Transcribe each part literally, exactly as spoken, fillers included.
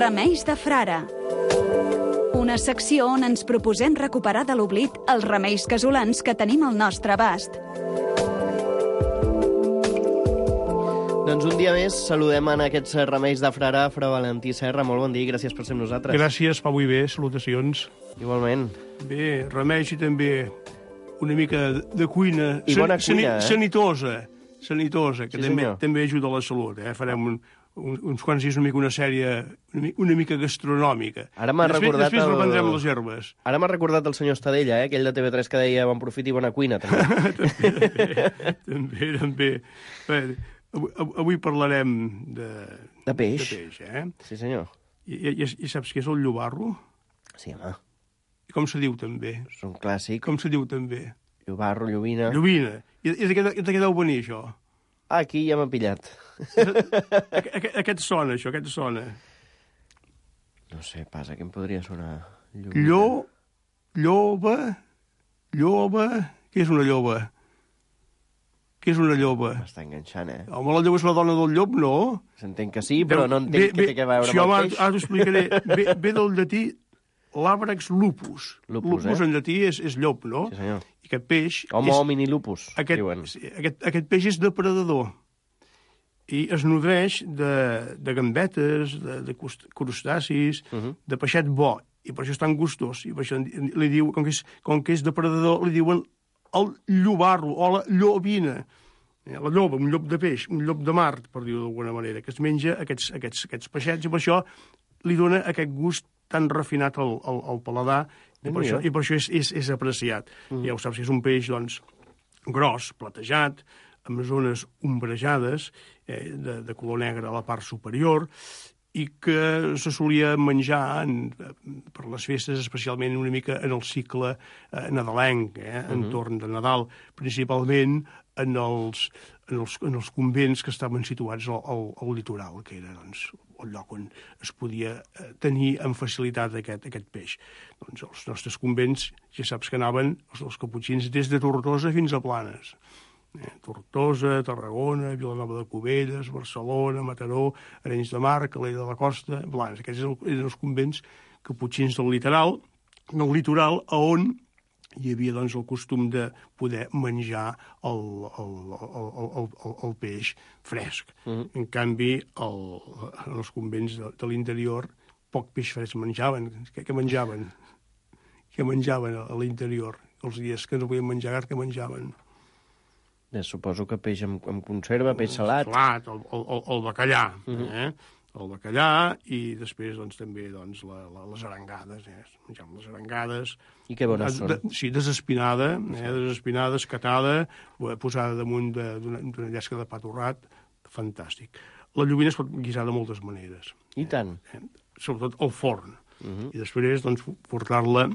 Remeis de frare. Una secció on ens proposem recuperar de l'oblit els remeis casolans que tenim al nostre abast. Doncs un dia més saludem en aquests remeis de frare, Fra Valentí Serra. Molt bon dia i gràcies per ser amb nosaltres. Gràcies, Pau, i bé, salutacions. Igualment. Bé, remeis i també una mica de cuina. I bona cuina, eh? Sanitosa, sanitosa, que Sí, també, senyor. també ajuda a la salut. Eh? Farem un, un, uns quants dies una mica una sèrie una, mi- una mica gastronòmica. Ara m'ha després, recordat Després el- reprendrem les herbes. Ara m'ha recordat el senyor Estadella, eh? Aquell de T V tres que deia bon profit i bona cuina, també. també, també, també. Bé, avui, avui parlarem de, De peix. de peix eh? Sí, senyor. I, i, I saps què és el llobarro? Sí, home, I com se diu també? és un clàssic. Com se diu també? Llobarro, llobina... Llovina. I, i de, què, de què deu venir, això? Ah, aquí ja m'ha pillat. Aqu aquest, aquest sona, això, aquest sona. No sé, passa, què em podria sonar? Llo, lloba, lloba... Què és una lloba? Què és una lloba? M'està enganxant, eh? Home, la lloba és la dona del llop, no? S'entén que sí, però no entenc què té a veure sí, amb home, el peix. ara t'ho explicaré. Ve, ve del llatí l'àbrax lupus. Lupus, lupus eh? en llatí és, és llop, no? Sí, senyor. I aquest peix... Homo és, homini lupus, aquest, diuen. sí, aquest, aquest peix és depredador i es nodreix de, de gambetes, de, de cust- crustacis, uh Mhm. -huh. de peixet bo, i per això és tan gustós. I per això li diu, com que és, com que és depredador, li diuen el llobarro o la llobina. Eh, La lloba, un llop de peix, un llop de mar, per dir-ho d'alguna manera, que es menja aquests, aquests, aquests peixets, i per això li dona aquest gust tan refinat al, al, al paladar, i per, això, i per això és, és, és apreciat. Mm. Ja ho saps, que és un peix, doncs, gros, platejat, amb zones ombrejades, eh, de, de color negre a la part superior, i que se solia menjar en, per les festes, especialment una mica en el cicle eh, nadalenc, eh, entorn de Nadal, principalment en els, en els, en els convents que estaven situats al, al, al litoral, que era doncs, el lloc on es podia eh, tenir amb facilitat aquest, aquest peix. Doncs els nostres convents, ja saps que anaven, els dels caputxins, des de Tortosa fins a Planes. Eh, Tortosa, Tarragona, Vilanova de Cubelles, Barcelona, Mataró, Arenys de Mar, Calella de la Costa, Blanes. Aquests eren eren els convents caputxins del litoral, del litoral, a on hi havia doncs, el costum de poder menjar el, el, el, el, el, el peix fresc. Uh-huh. En canvi, el, en els convents de, de l'interior, poc peix fresc menjaven. Què, què menjaven? Què menjaven a l'interior? Els dies que no podien menjar gat, què menjaven? Ja, suposo que peix amb, amb conserva, peix salat. Salat, el, el, el bacallà, uh-huh. eh? El bacallà i després doncs, també doncs, la, la, les arengades. Eh? Menjàvem les arengades. I que bones són. De, sí, desespinada, eh? desespinada, escatada, posada damunt de- d'una d'una llesca de pa torrat. Fantàstic. La llobina es pot guisar de moltes maneres. I tant. Eh? Sobretot al forn. Uh-huh. I després doncs, portar-la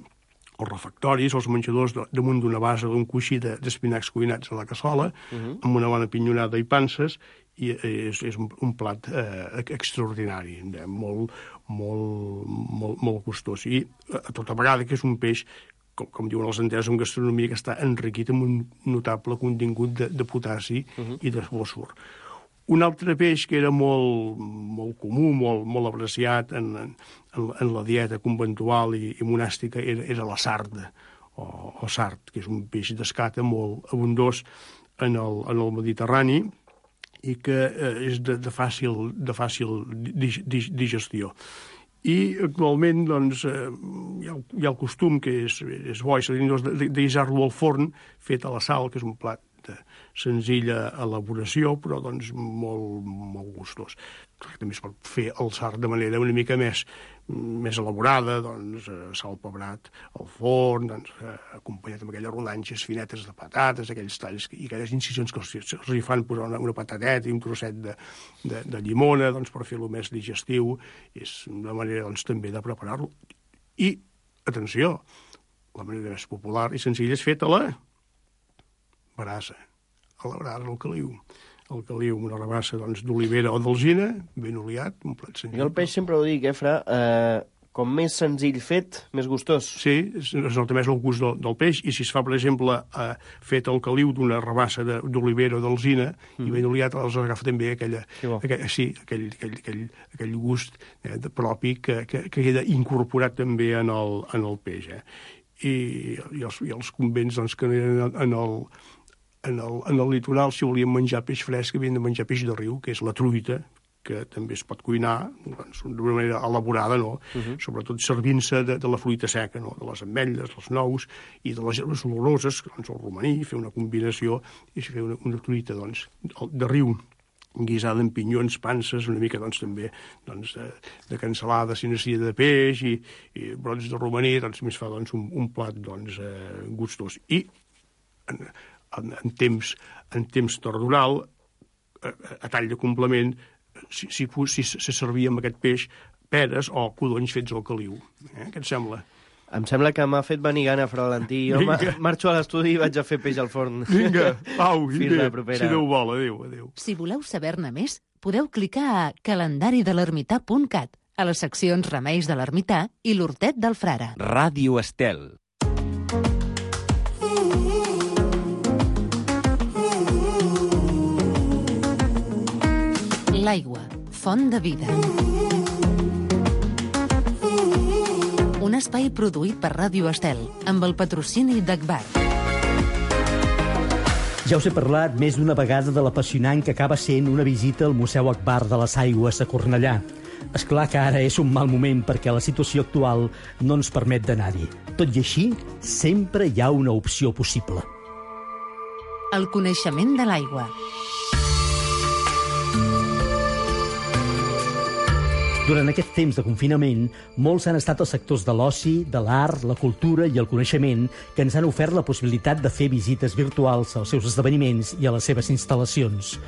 als refectoris, als menjadors, de- damunt d'una base, d'un coixí de- d'espinacs cuinats a la cassola, uh-huh. amb una bona pinyonada i panses, i és, és un, un plat eh, extraordinari, eh, molt, molt, molt, molt gustós. I a tota vegada que és un peix, com, com diuen els entesos en gastronomia, que està enriquit amb un notable contingut de, de potassi uh-huh. i de fòsfor. Un altre peix que era molt, molt comú, molt, molt apreciat en, en, en la dieta conventual i, i monàstica era, era la sarda, o, o sard, que és un peix d'escata molt abundós en el, en el Mediterrani i que eh, és de, de fàcil, de fàcil dig, dig, digestió. I actualment doncs, eh, hi, ha, hi ha el costum, que és, és bo, és d'aïssar-lo al forn, fet a la sal, que és un plat de senzilla elaboració, però doncs molt, molt gustós. També es pot fer el sard de manera una mica més, més elaborada, doncs, sal pebrat al forn, doncs, eh, acompanyat amb aquelles rodanxes finetes de patates, aquells talls i aquelles incisions que els, els hi fan posar una, una patateta i un trosset de, de, de llimona, doncs, per fer-lo més digestiu. És una manera doncs, també de preparar-lo. I, atenció, la manera més popular i senzilla és feta a la brasa, a la brasa, al caliu. El caliu, una rabassa doncs, d'olivera o d'alzina, ben oliat, un plat senzill. Jo el peix sempre ho dic, eh, Fra? Eh, com més senzill fet, més gustós. Sí, es nota més el gust del, del peix, i si es fa, per exemple, eh, fet al caliu d'una rabassa d'olivera o d'alzina, mm. i ben oliat, els agafa també aquella, aquell, sí, aquell, aquell, aquell, aquell gust eh, propi que, que, que queda incorporat també en el, en el peix. Eh? I, i, els, i els convents doncs, que en el, en el En el, en el litoral, si volíem menjar peix fresc, havien de menjar peix de riu, que és la truita, que també es pot cuinar doncs, d'una manera elaborada, no? Uh-huh. Sobretot servint-se de, de la fruita seca, no? De les ametlles, els nous i de les herbes oloroses, doncs el romaní, fer una combinació i fer una, una truita doncs, de riu guisada amb pinyons, panses, una mica doncs, també doncs, de, de cansalada, sinacida de peix i, i brots de romaní, doncs més fa doncs, un, un plat doncs, eh, gustós. I en, En, en temps, en temps tardonal, a, a tall de complement, si, si, si, si servia amb aquest peix peres o codonys fets al caliu. Eh? Què et sembla? Em sembla que m'ha fet venir gana, Fra Valentí. Jo marxo a l'estudi i vaig a fer peix al forn. Vinga, au, fins la propera. Si Déu vol, adéu, adéu. Si voleu saber-ne més, podeu clicar a calendari de l'ermità punt cat, a les seccions Remeis de l'Ermità i l'Hortet del Frare. Ràdio Estel. L'aigua, font de vida. Un espai produït per Ràdio Estel, amb el patrocini d'Agbar. Ja us he parlat més d'una vegada de l'apassionant que acaba sent una visita al Museu Agbar de les Aigües a Cornellà. És clar que ara és un mal moment perquè la situació actual no ens permet d'anar-hi. Tot i així, sempre hi ha una opció possible. El coneixement de l'aigua. Durant aquest temps de confinament, molts han estat els sectors de l'oci, de l'art, la cultura i el coneixement que ens han ofert la possibilitat de fer visites virtuals als seus esdeveniments i a les seves instal·lacions.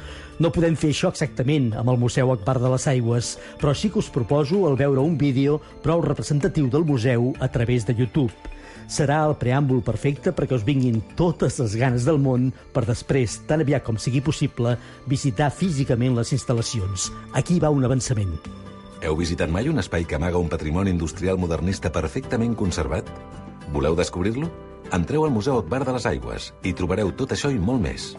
No podem fer això exactament amb el Museu Agbar de les Aigües, però sí que us proposo el veure un vídeo prou representatiu del museu a través de YouTube. Serà el preàmbul perfecte perquè us vinguin totes les ganes del món per després, tan aviat com sigui possible, visitar físicament les instal·lacions. Aquí va un avançament. Heu visitat mai un espai que amaga un patrimoni industrial modernista perfectament conservat? Voleu descobrir-lo? Entreu al Museu Agbar de les Aigües i trobareu tot això i molt més.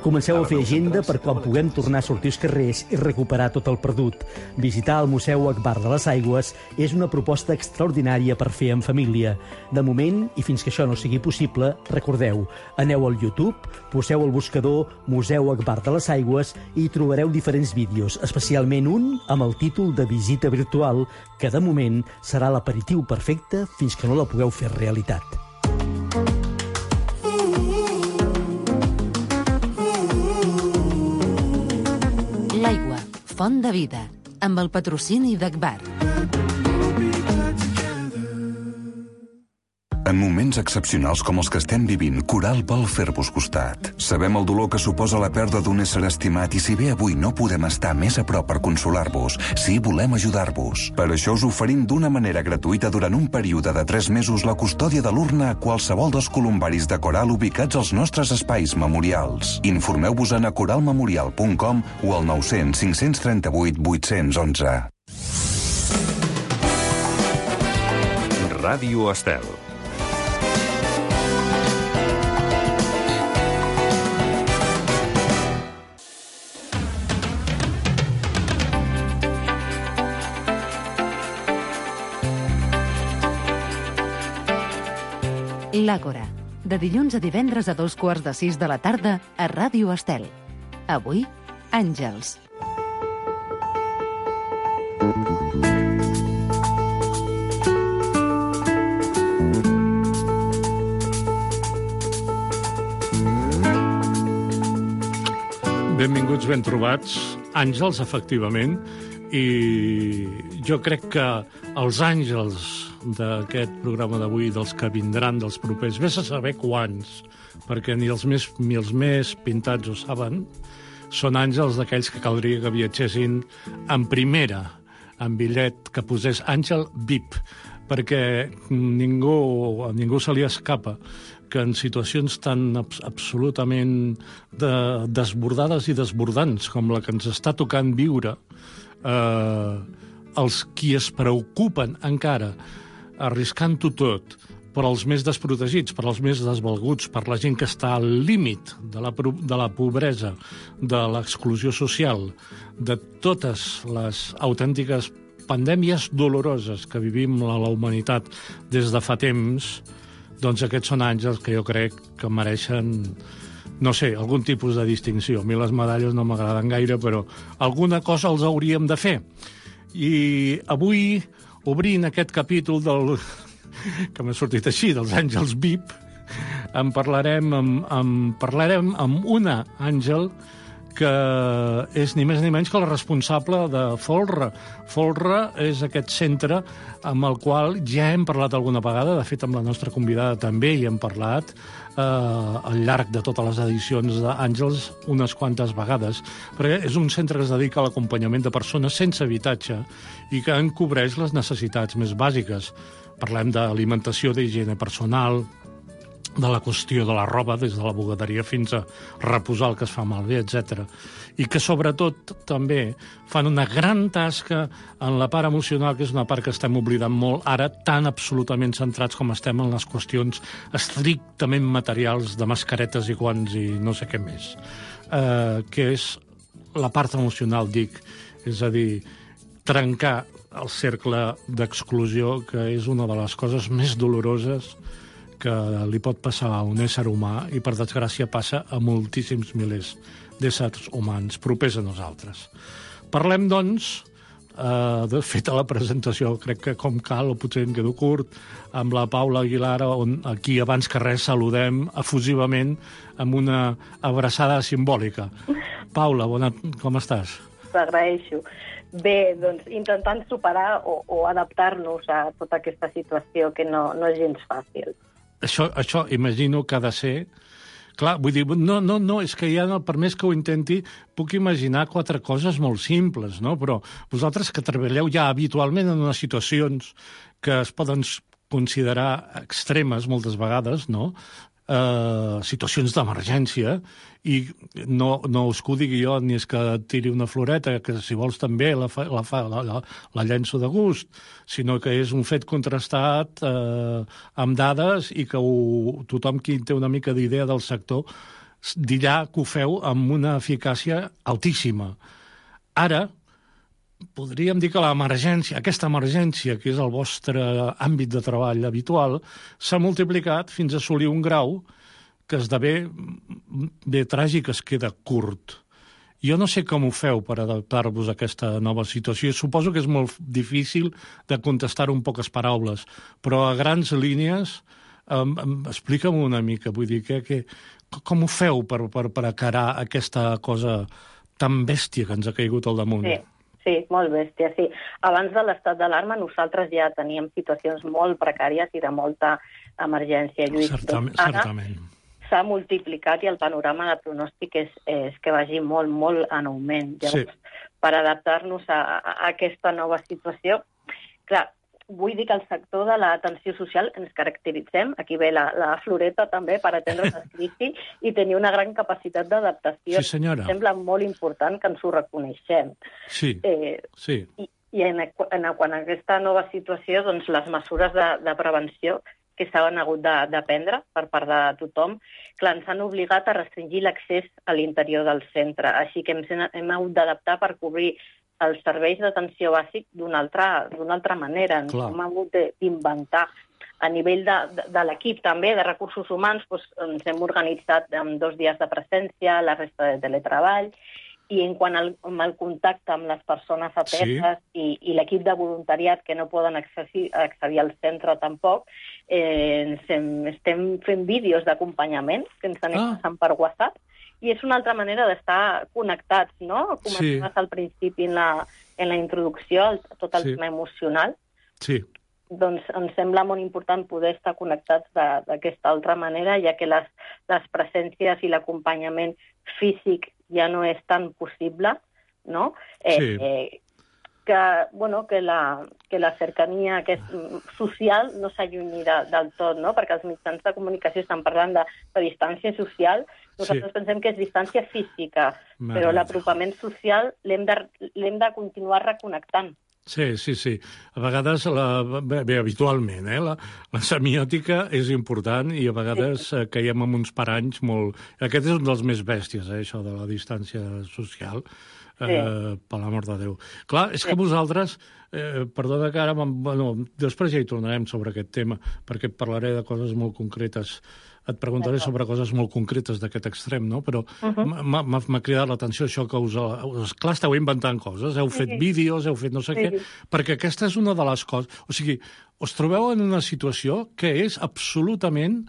Comenceu a fer agenda per quan puguem tornar a sortir als carrers i recuperar tot el perdut. Visitar el Museu Agbar de les Aigües és una proposta extraordinària per fer en família. De moment, i fins que això no sigui possible, recordeu, aneu al YouTube, poseu al buscador Museu Agbar de les Aigües i trobareu diferents vídeos, especialment un amb el títol de Visita Virtual, que de moment serà l'aperitiu perfecte fins que no la pugueu fer realitat. L'aigua, font de vida, amb el patrocini d'Agbar. En moments excepcionals com els que estem vivint, Coral vol fer-vos costat. Sabem el dolor que suposa la pèrdua d'un ésser estimat i si bé avui no podem estar més a prop per consolar-vos, sí volem ajudar-vos. Per això us oferim d'una manera gratuïta durant un període de tres mesos la custòdia de l'urna a qualsevol dels columbaris de Coral ubicats als nostres espais memorials. Informeu-vos a coralmemorial punt com o al nou cents cinc-cents trenta-vuit vuit-cents onze. Ràdio Estel. L'Àgora, de dilluns a divendres a dos quarts de sis de la tarda a Ràdio Estel. Avui, Àngels. Benvinguts, ben trobats. Àngels, efectivament. I jo crec que els àngels d'aquest programa d'avui, dels que vindran, dels propers, vés a saber quants, perquè ni els més, ni els més pintats ho saben, són àngels d'aquells que caldria que viatgessin en primera, en bitllet que posés Àngel V I P, perquè ningú, a ningú se li escapa que en situacions tan abs absolutament de, desbordades i desbordants com la que ens està tocant viure, eh, els qui es preocupen encara, arriscant-ho tot, per als més desprotegits, per als més desvalguts, per la gent que està al límit de la, de la pobresa, de l'exclusió social, de totes les autèntiques pandèmies doloroses que vivim a la humanitat des de fa temps, doncs aquests són àngels que jo crec que mereixen, no sé, algun tipus de distinció. A mi les medalles no m'agraden gaire, però alguna cosa els hauríem de fer. I avui, obrint aquest capítol del... que m'ha sortit així, dels àngels V I P, en parlarem amb, amb, parlarem amb una àngel que és ni més ni menys que la responsable de Folra. Folra és aquest centre amb el qual ja hem parlat alguna vegada, de fet amb la nostra convidada també hi hem parlat, eh, al llarg de totes les edicions d'Àngels unes quantes vegades, perquè és un centre que es dedica a l'acompanyament de persones sense habitatge i que en cobreix les necessitats més bàsiques. Parlem d'alimentació, d'higiene personal, de la qüestió de la roba, des de la bugaderia fins a reposar el que es fa malbé, etcètera. I que, sobretot, també fan una gran tasca en la part emocional, que és una part que estem oblidant molt ara, tan absolutament centrats com estem en les qüestions estrictament materials de mascaretes i guants i no sé què més. Eh, que és la part emocional, dic. És a dir, trencar el cercle d'exclusió, que és una de les coses més doloroses que li pot passar a un ésser humà i, per desgràcia, passa a moltíssims milers d'éssers humans propers a nosaltres. Parlem, doncs, eh, de fet, a la presentació, crec que com cal, o potser em quedo curt, amb la Paula Aguilar, on aquí, abans que res, saludem efusivament amb una abraçada simbòlica. Paula, bona... com estàs? T'agraeixo. Bé, doncs, intentant superar o, o adaptar-nos a tota aquesta situació que no, no és gens fàcil. Això, això imagino que ha de ser... Clar, vull dir, no, no, no, és que ja, per més que ho intenti, puc imaginar quatre coses molt simples, no? Però vosaltres que treballeu ja habitualment en unes situacions que es poden considerar extremes moltes vegades, no? Eh, situacions d'emergència, i no, no us que ho digui jo, ni és que tiri una floreta, que si vols també la, fa, la, fa, la, la, la llenço de gust, sinó que és un fet contrastat eh, amb dades i que ho, tothom qui té una mica d'idea del sector dirà que ho feu amb una eficàcia altíssima. Ara, podríem dir que l'emergència, aquesta emergència, que és el vostre àmbit de treball habitual, s'ha multiplicat fins a assolir un grau que esdevé bé tràgic, es queda curt. Jo no sé com ho feu per adaptar-vos a aquesta nova situació. Suposo que és molt difícil de contestar-ho en poques paraules, però a grans línies, um, um, explica'm una mica, vull dir, que, que, com ho feu per, per, per acarar aquesta cosa tan bèstia que ens ha caigut al damunt? Sí. Sí, molt bèstia, sí. Abans de l'estat d'alarma nosaltres ja teníem situacions molt precàries i de molta emergència. Lluís, certament, doncs, ara certament. S'ha multiplicat i el panorama de pronòstic és, és que vagi molt, molt en augment. Llavors, sí. Per adaptar-nos a, a aquesta nova situació, clar, vull dir que el sector de l'atenció social ens caracteritzem, aquí ve la, la floreta també, per atendre la crisi i tenir una gran capacitat d'adaptació. Sí, senyora. Sembla molt important que ens ho reconeixem. Sí, eh, sí. I, i en, en, en aquesta nova situació, doncs, les mesures de, de prevenció que s'han hagut de, de prendre per part de tothom, clar, ens han obligat a restringir l'accés a l'interior del centre. Així que hem, hem hagut d'adaptar per cobrir els serveis d'atenció bàsic d'una altra, d'una altra manera. Ens hem hagut d'inventar. A nivell de, de, de l'equip també, de recursos humans, doncs, ens hem organitzat amb dos dies de presència, la resta de teletreball, i en quant al, al contacte amb les persones ateses sí. i, i l'equip de voluntariat que no poden accedir, accedir al centre tampoc, eh, hem, estem fent vídeos d'acompanyament que ens anem ah. passant per WhatsApp, i és una altra manera d'estar connectats, no? Començaves sí. al principi en la, en la introducció, el, tot el sí. tema emocional. Sí. Doncs em sembla molt important poder estar connectats d'aquesta altra manera, ja que les, les presències i l'acompanyament físic ja no és tan possible, no? Eh, sí. eh, que, bueno, que, la, que la cercania que és social no s'allunyi de, del tot, no? Perquè els mitjans de comunicació estan parlant de, de distància social. Nosaltres sí. pensem que és distància física, Mare però l'apropament social l'hem de, l'hem de continuar reconnectant. Sí, sí, sí. A vegades, la, bé, bé, habitualment, eh, la, la semiòtica és important i a vegades sí. eh, caiem en uns paranys molt... Aquest és un dels més bèsties, eh, això de la distància social, eh, sí. per l'amor de Déu. Clar, és sí. que vosaltres, eh, perdona que ara... Bueno, després ja hi tornarem sobre aquest tema, perquè parlaré de coses molt concretes. Et preguntaré sobre coses molt concretes d'aquest extrem, no? Però uh-huh. m'ha cridat l'atenció això que us... Clar, esteu inventant coses, heu fet sí. vídeos, heu fet no sé sí. què, perquè aquesta és una de les coses... O sigui, us trobeu en una situació que és absolutament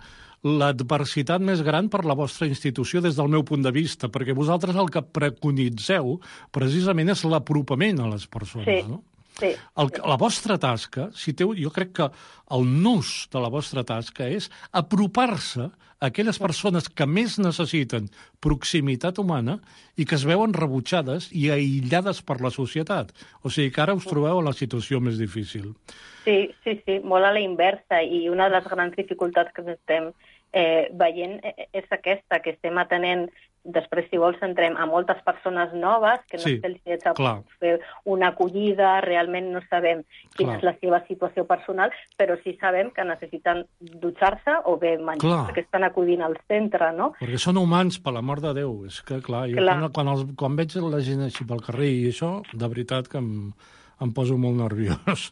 l'adversitat més gran per la vostra institució des del meu punt de vista, perquè vosaltres el que preconitzeu precisament és l'apropament a les persones, sí. no? Sí, el, sí. La vostra tasca, si teu, jo crec que el nus de la vostra tasca és apropar-se a aquelles persones que més necessiten proximitat humana i que es veuen rebutjades i aïllades per la societat. O sigui que ara us trobeu en la situació més difícil. Sí, sí, sí, molt a la inversa, i una de les grans dificultats que estem eh, veient és aquesta, que estem atenent. Després, si vols, entrem a moltes persones noves que no sí, sé si ets a fer una acollida, realment no sabem quina clar. És la seva situació personal, però sí sabem que necessiten dutxar-se o bé menjar, clar. Perquè estan acudint al centre, no? Perquè són humans, per l'amor de Déu. És que, clar, jo clar. Quan, quan, els, quan veig la gent així pel carrer i això, de veritat que em, em poso molt nerviós.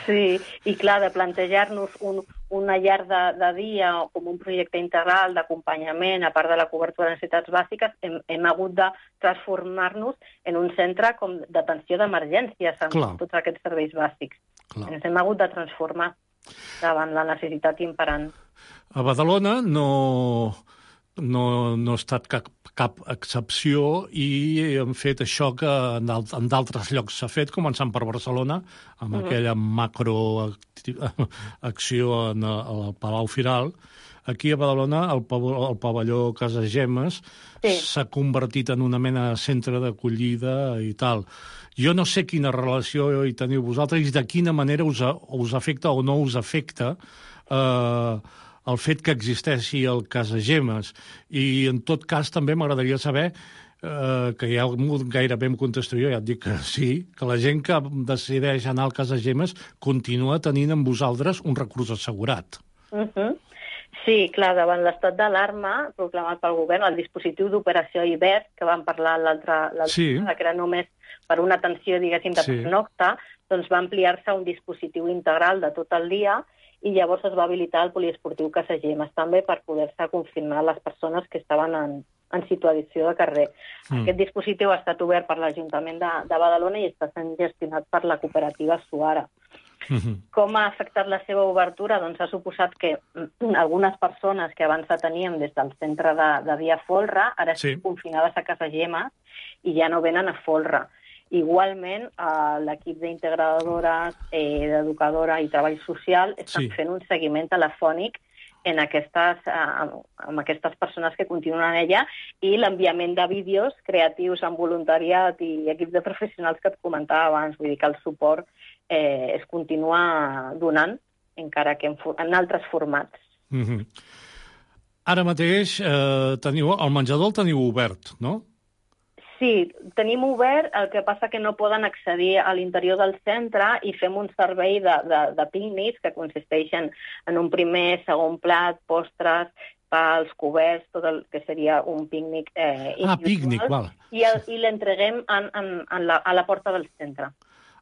Sí, i clar, de plantejar-nos un, una llar de, de dia com un projecte integral d'acompanyament, a part de la cobertura de necessitats bàsiques, hem, hem hagut de transformar-nos en un centre com d'atenció d'emergències amb clar. Tots aquests serveis bàsics. Clar. Ens hem hagut de transformar davant la necessitat imperant. A Badalona no... No, no ha estat cap, cap excepció i hem fet això que en d'altres llocs s'ha fet, començant per Barcelona, amb uh-huh. aquella macroacció al Palau Firal. Aquí a Badalona el, el pavelló Casa Gemmes sí. s'ha convertit en una mena de centre d'acollida i tal. Jo no sé quina relació hi teniu vosaltres i de quina manera us, us afecta o no us afecta eh, el fet que existeixi el Casagemes. I, en tot cas, també m'agradaria saber, eh, que ja gairebé em contesto jo, ja et dic que sí, que la gent que decideix anar al Casagemes continua tenint amb vosaltres un recurs assegurat. Uh-huh. Sí, clar, davant l'estat d'alarma proclamat pel govern, el dispositiu d'operació Hivern, que vam parlar l'altre sí. que era només per una atenció, diguéssim, de sí. pernocta, doncs va ampliar-se a un dispositiu integral de tot el dia i llavors es va habilitar el poliesportiu Casagemes també per poder-se confirmar les persones que estaven en, en situació de carrer. Mm. Aquest dispositiu ha estat obert per l'Ajuntament de, de Badalona i està sent gestionat per la cooperativa Suara. Mm-hmm. Com ha afectat la seva obertura? Doncs ha suposat que algunes persones que abans teníem des del centre de, de Via Folra ara sí. estan confinades a Casagemes i ja no venen a Folra. Igualment, eh, l'equip d'integradores, eh, d'educadora i treball social estan sí. fent un seguiment telefònic en aquestes, eh, amb aquestes persones que continuen allà i l'enviament de vídeos creatius amb voluntariat i equips de professionals que et comentava abans. Vull dir que el suport eh, es continua donant, encara que en, en altres formats. Mm-hmm. Ara mateix eh, teniu, el menjador el teniu obert, no? Sí, tenim obert, el que passa que no poden accedir a l'interior del centre i fem un servei de, de, de pícnics que consisteixen en un primer, segon plat, postres, pals, coberts, tot el que seria un pícnic eh, individual. Ah, pícnic, val. I, el, i l'entreguem en, en, en la, a la porta del centre.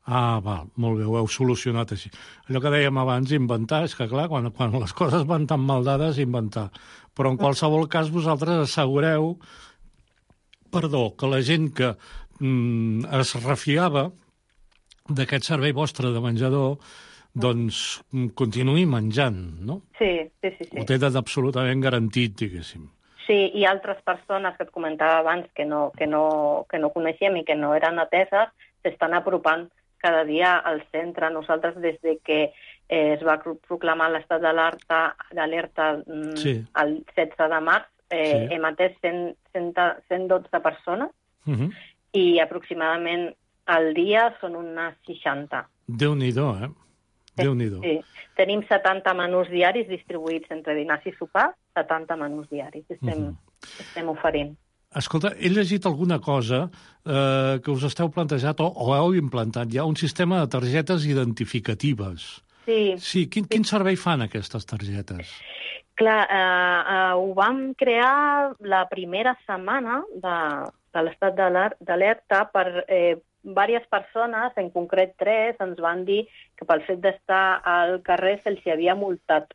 Ah, val, molt bé, ho heu solucionat així. Allò que dèiem abans, inventar, és que clar, quan, quan les coses van tan mal dades, inventar. Però en qualsevol cas vosaltres assegureu perdó, que la gent que mm, es refiava d'aquest servei vostre de menjador doncs continuï menjant, no? Sí, sí, sí. sí. Ho tenen absolutament garantit, diguéssim. Sí, i altres persones que et comentava abans que no, que no, que no coneixíem i que no eren ateses s'estan apropant cada dia al centre. Nosaltres, des de que eh, es va proclamar l'estat d'alerta d'alerta mm, sí. el setze de març, eh, sí. hem atès cent dotze persones uh-huh. i aproximadament al dia són unes seixanta. Déu-n'hi-do, eh? Déu-n'hi-do. Sí. Tenim setanta menús diaris distribuïts entre dinars i sopars, setanta menús diaris estem, uh-huh. estem oferint. Escolta, he llegit alguna cosa eh, que us esteu plantejat o, o heu implantat ja un sistema de targetes identificatives. Sí. Sí, quin, quin servei fan aquestes targetes? Clar, eh, eh, ho vam crear la primera setmana de, de l'estat d'alerta per eh, diverses persones, en concret tres, ens van dir que pel fet d'estar al carrer se'ls havia multat.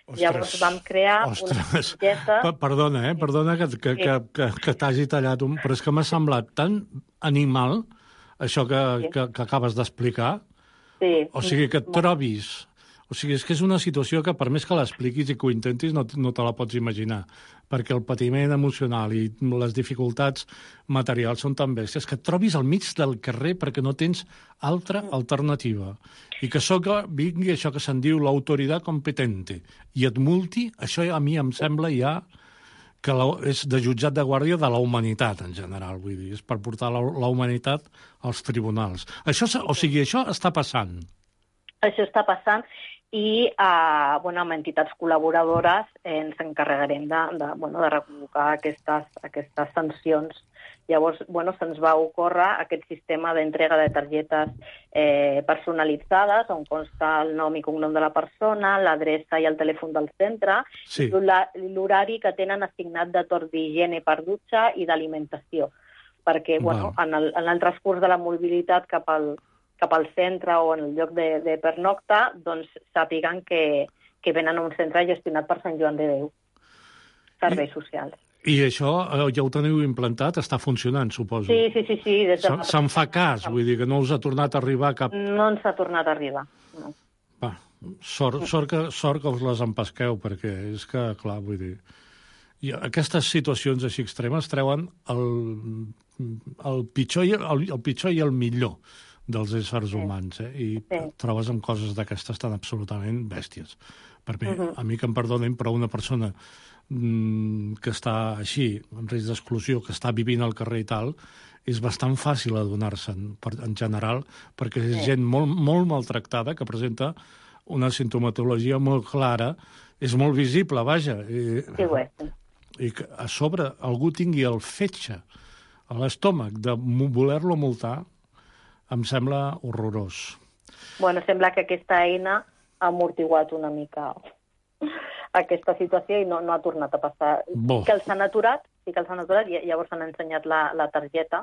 Ostres, Llavors vam crear ostres. una targeta... Perdona, eh? Perdona que, que, que, que, que t'hagi tallat un... Però és que m'ha semblat tan animal això que, sí. que, que acabes d'explicar. Sí. O sigui, que et trobis... O sigui, és que és una situació que, per més que l'expliquis i que ho intentis, no, no te la pots imaginar, perquè el patiment emocional i les dificultats materials són tan bèsties que et trobis al mig del carrer perquè no tens altra alternativa. I que soca, vingui això que se'n diu l'autoritat competente i et multi, això a mi em sembla ja que la, és de jutjat de guàrdia de la humanitat, en general, vull dir, és per portar la, la humanitat als tribunals. Això, o sigui, això està passant. Això està passant i eh, bueno, amb entitats col·laboradores eh, ens encarregarem de, de, bueno, de reconvocar aquestes, aquestes sancions. Llavors, bueno, se'ns va ocórrer aquest sistema d'entrega de targetes eh, personalitzades on consta el nom i cognom de la persona, l'adreça i el telèfon del centre, sí. i l'horari que tenen assignat de torn d'higiene per dutxa i d'alimentació. Perquè bueno, en, el, en el transcurs de la mobilitat cap al cap al centre o en el lloc de, de pernocta, doncs sàpiguen que, que venen a un centre gestionat per Sant Joan de Déu, serveis I, socials. I això ja ho teniu implantat? Està funcionant, suposo? Sí, sí, sí. sí des de Se'n fa cas, vull dir que no us ha tornat a arribar cap... No ens ha tornat a arribar, no. Va, sort, sort, que, sort que us les empesqueu, perquè és que, clar, vull dir... I aquestes situacions així extremes treuen el, el, pitjor, i, el, el pitjor i el millor dels éssers humans, eh? I sí. trobes amb coses d'aquestes tan absolutament bèsties. Per mi, uh -huh. a mi que em perdonin, però una persona mm, que està així, en risc d'exclusió, que està vivint al carrer i tal, és bastant fàcil adonar-se'n, en general, perquè és sí. gent molt, molt maltractada, que presenta una sintomatologia molt clara, és molt visible, vaja. I, sí, bé. I que a sobre algú tingui el fetge a l'estómac de voler-lo multar, em sembla horrorós. Bueno, sembla que aquesta eina ha amortiguat una mica aquesta situació i no, no ha tornat a passar. Bo. Sí que els han aturat, sí que els han aturat, i llavors han ensenyat la, la targeta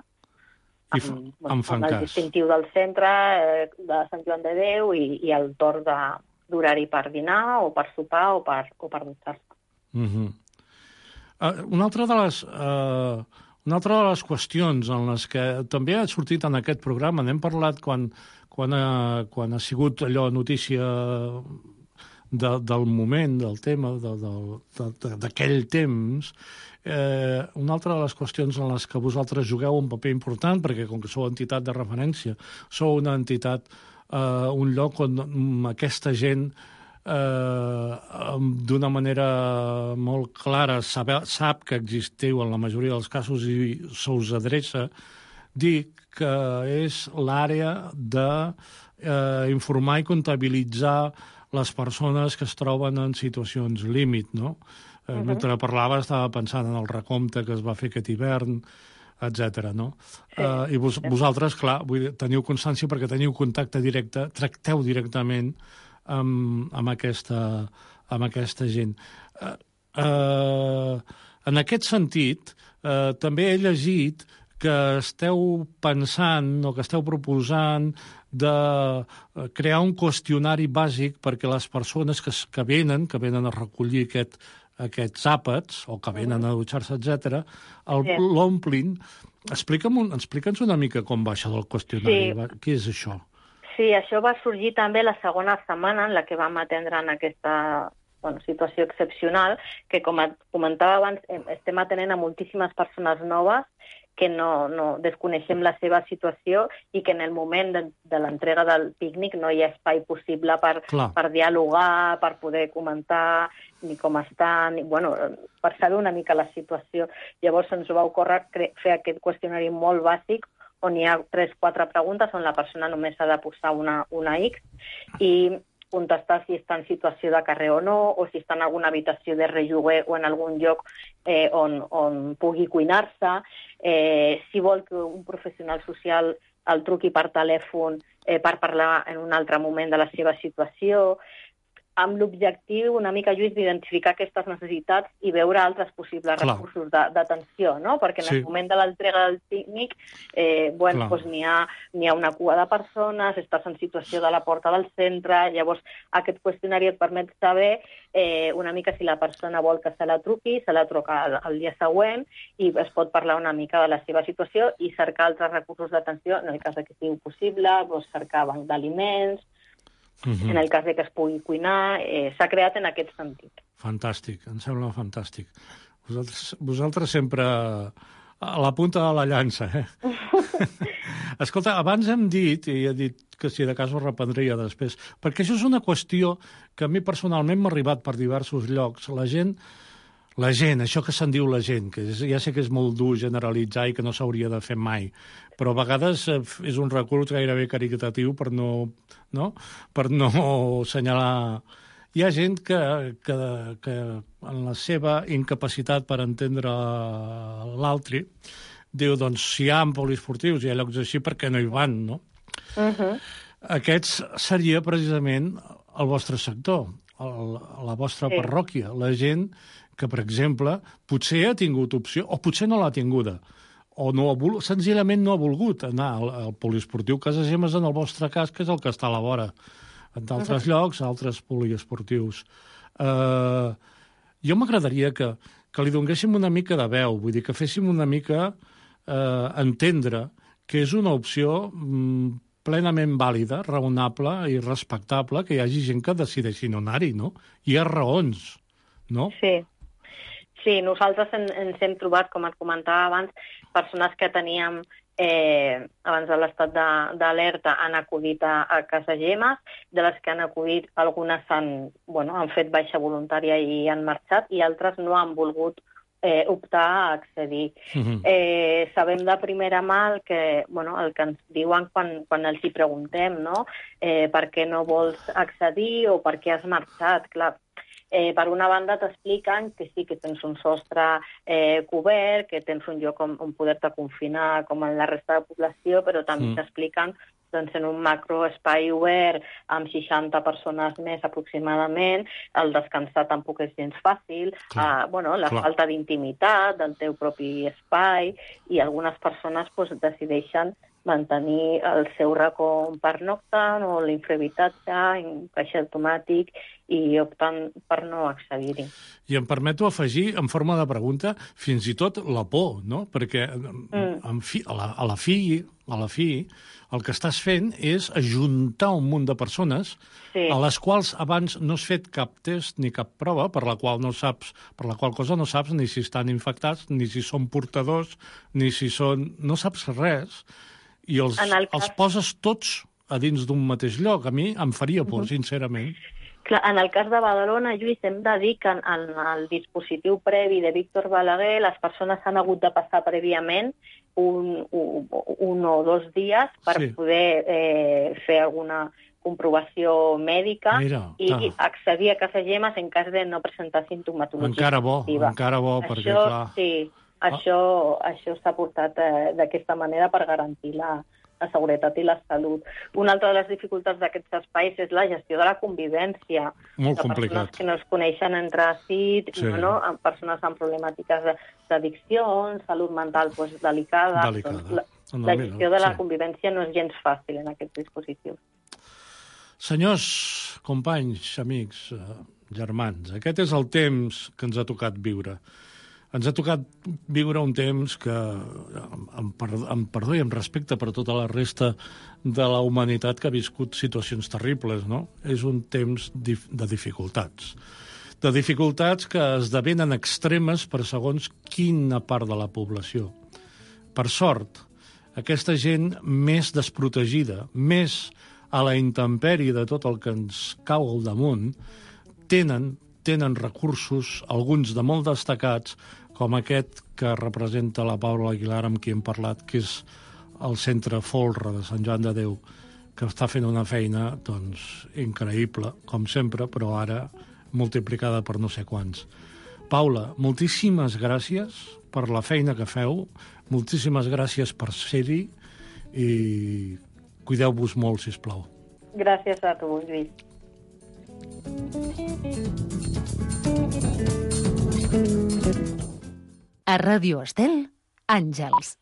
amb, I bueno, em fan amb el cas. distintiu del centre, eh, de Sant Joan de Déu, i, i el torn d'horari per dinar, o per sopar, o per, o per dutxar-se. Mm-hmm. uh, una altra de les... Uh... Una altra de les qüestions en les que també ha sortit en aquest programa, n'hem parlat quan, quan, ha, quan ha sigut allò notícia de, del moment, del tema, d'aquell temps, eh, una altra de les qüestions en les que vosaltres jugueu un paper important, perquè com que sou entitat de referència, sou una entitat, eh, un lloc on aquesta gent Eh, d'una manera molt clara sabe, sap que existiu en la majoria dels casos i se us adreça, dic que és l'àrea de eh, informar i comptabilitzar les persones que es troben en situacions límit, no? Eh, uh-huh. Mentre parlava estava pensant en el recompte que es va fer aquest hivern, etcètera, no? Sí. Uh, I vos, vosaltres, clar, vull dir, teniu constància perquè teniu contacte directe, tracteu directament Amb, amb, aquesta, amb aquesta gent. Uh, uh, en aquest sentit, uh, també he llegit que esteu pensant o que esteu proposant de crear un qüestionari bàsic perquè les persones que, que venen, que venen a recollir aquest, aquests àpats o que venen a dutxar-se, etcètera, l'omplin. Explica'm, explica'ns una mica com va això del qüestionari. Sí. Què és això? Sí, això va sorgir també la segona setmana en la que vam atendre en aquesta bueno, situació excepcional, que com comentava abans, estem atenent a moltíssimes persones noves que no, no desconeixem la seva situació i que en el moment de, de l'entrega del pícnic no hi ha espai possible per, per dialogar, per poder comentar ni com estan, ni, bueno, per saber una mica la situació. Llavors ens va ocórrer fer aquest qüestionari molt bàsic on hi ha tres o quatre preguntes on la persona només ha de posar una, una X i contestar si està en situació de carrer o no, o si està en alguna habitació de relloguer o en algun lloc eh, on, on pugui cuinar-se, eh, si vol que un professional social el truqui per telèfon eh, per parlar en un altre moment de la seva situació, amb l'objectiu una mica, Lluís, d'identificar aquestes necessitats i veure altres possibles Clar. recursos d'atenció, no? Perquè en Sí. el moment de l'entrega del tècnic eh, bueno, doncs n'hi ha, n'hi ha una cua de persones, estàs en situació de la porta del centre, llavors aquest qüestionari et permet saber eh, una mica si la persona vol que se la truqui, se la truca el, el dia següent i es pot parlar una mica de la seva situació i cercar altres recursos d'atenció, en el cas que sigui possible, doncs cercar banc d'aliments, Mhm. en el cas de que es pugui cuinar, eh, s'ha creat en aquest sentit. Fantàstic, em sembla fantàstic. Vosaltres, vosaltres sempre a la punta de la llança, eh? Escolta, abans hem dit, i he dit que si de cas ho reprendria després, perquè això és una qüestió que a mi personalment m'ha arribat per diversos llocs. La gent, la gent, això que se'n diu la gent, que és, ja sé que és molt dur generalitzar i que no s'hauria de fer mai, però a vegades eh, és un recurs gairebé caritatiu per no, no? per no assenyalar. Hi ha gent que, que, que en la seva incapacitat per entendre l'altre diu, doncs, si hi ha poliesportius i hi ha llocs així, per què no hi van, no? Uh-huh. Aquests seria precisament el vostre sector, el, la vostra Sí. parròquia, la gent que, per exemple, potser ha tingut opció, o potser no l'ha tinguda, o no ha vol... senzillament no ha volgut anar al, al poliesportiu Casa Gemmes, en el vostre cas, que és el que està a la vora. En d'altres uh-huh. llocs, altres poliesportius. Uh, jo m'agradaria que, que li donéssim una mica de veu, vull dir, que féssim una mica uh, entendre que és una opció mm, plenament vàlida, raonable i respectable, que hi hagi gent que decideixi no anar-hi, no? Hi ha raons, no? Sí. Sí, nosaltres en, ens hem trobat, com et comentava abans, persones que teníem eh, abans de l'estat d'alerta han acudit a, a Casa Gemmes, de les que han acudit algunes han, bueno, han fet baixa voluntària i han marxat, i altres no han volgut eh, optar a accedir. Mhm. Eh, sabem de primera mà el que, bueno, el que ens diuen quan, quan els hi preguntem, no? Eh, per què no vols accedir o per què has marxat? Clar, Eh, per una banda t'expliquen que sí, que tens un sostre eh, cobert, que tens un lloc on, on poder-te confinar com en la resta de població, però també mm. t'expliquen doncs, en un macroespai obert amb seixanta persones més aproximadament, el descansar tampoc és gens fàcil, eh, bueno, la clar. falta d'intimitat del teu propi espai, i algunes persones doncs, decideixen mantenir el seu racó per noctant o l'infrahabitatge en caixa automàtic i optant per no accedir-hi. I em permeto afegir, en forma de pregunta, fins i tot la por, no? Perquè mm. en fi, a, la, a, la fi, a la fi el que estàs fent és ajuntar un munt de persones sí. a les quals abans no has fet cap test ni cap prova, per la qual no saps, per la qual cosa no saps ni si estan infectats, ni si són portadors, ni si són... no saps res, i els, cas... els poses tots a dins d'un mateix lloc. A mi em faria por, uh-huh. sincerament. Clar, en el cas de Badalona, Lluís, hem de dir que en, en el dispositiu previ de Víctor Balaguer les persones han hagut de passar prèviament un, un, un o dos dies per sí. poder eh, fer alguna comprovació mèdica Mira, i ah. accedir a Casa Gemmes en cas de no presentar simptomatologia. Encara bo, positiva. encara bo, Això, perquè clar... Sí, Això, ah. això s'ha portat eh, d'aquesta manera per garantir la, la seguretat i la salut. Una altra de les dificultats d'aquests espais és la gestió de la convivència. Molt de complicat. Persones que no es coneixen entre si, sí. no, amb persones amb problemàtiques d'addiccions, salut mental pues, delicada. Delicada. Doncs, la, la gestió de la sí. convivència no és gens fàcil en aquests dispositius. Senyors, companys, amics, germans, aquest és el temps que ens ha tocat viure. Ens ha tocat viure un temps que, amb perdó i amb respecte per tota la resta de la humanitat que ha viscut situacions terribles, no? És un temps de dificultats. De dificultats que esdevenen extremes per segons quina part de la població. Per sort, aquesta gent més desprotegida, més a la intempèrie de tot el que ens cau al damunt, tenen, tenen recursos, alguns de molt destacats, com aquest que representa la Paula Aguilar, amb qui hem parlat, que és el Centre Folra de Sant Joan de Déu, que està fent una feina doncs, increïble, com sempre, però ara multiplicada per no sé quants. Paula, moltíssimes gràcies per la feina que feu, moltíssimes gràcies per ser-hi i cuideu-vos molt, sisplau. Gràcies a tu, Lluís. A Ràdio Estel, Àngels.